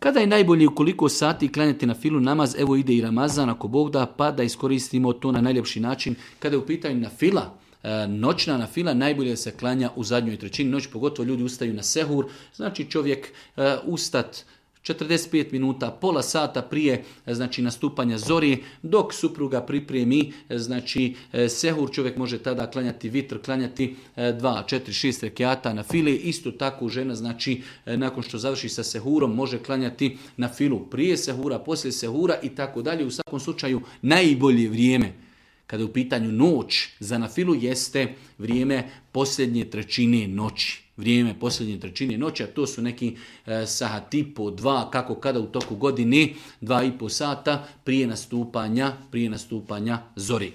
Kada je najbolje u koliko sati klanjati na filu namaz, evo ide i Ramazan ako Bog da, pa da iskoristimo to na najljepši način. Kada je u pitanju na fila, noćna na fila, najbolje da se klanja u zadnjoj trećini noći, pogotovo ljudi ustaju na sehur, znači čovjek ustat 45 minuta, pola sata prije znači nastupanja zori, dok supruga pripremi znači sehur, čovjek može tada klanjati vitr, klanjati 2, 4, 6 rekiata na file. Isto tako žena znači nakon što završi sa sehurom može klanjati na filu prije sehura, poslije sehura i tako dalje. U svakom slučaju najbolje vrijeme kada je u pitanju noć za nafilu jeste vrijeme posljednje trećine noći. Vrijeme posljednje trećine noći, a to su neki sat i po, 2, kako kada u toku godine, 2,5 sata prije nastupanja zori.